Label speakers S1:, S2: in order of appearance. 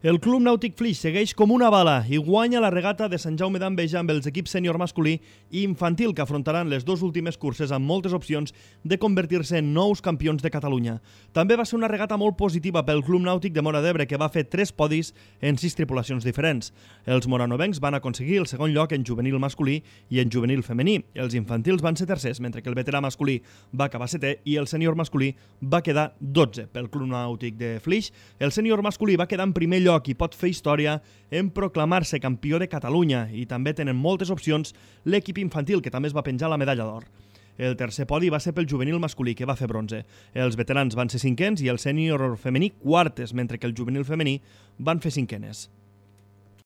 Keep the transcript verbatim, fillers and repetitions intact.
S1: El Club Nàutic Flix segueix com una bala i guanya la regata de Sant Jaume d'Enveja amb els equips sènior masculí i infantil que afrontaran les dues últimes curses amb moltes opcions de convertir-se en nous campions de Catalunya. També va ser una regata molt positiva pel Club Nàutic de Móra d'Ebre, que va fer tres podis en sis tripulacions diferents. Els moranovencs van aconseguir el segon lloc en juvenil masculí i en juvenil femení. Els infantils van ser tercers, mentre que el veterà masculí va acabar setè i el sènior masculí va quedar dotze. Pel Club Nàutic de Flix, el sènior masculí va quedar en primer lloc i pot fer història en proclamar-se campió de Catalunya, i també tenen moltes opcions l'equip infantil, que també es va penjar la medalla d'or. El tercer podi va ser pel juvenil masculí, que va fer bronze. Els veterans van ser cinquens i el sènior femení quartes, mentre que el juvenil femení van fer cinquenes.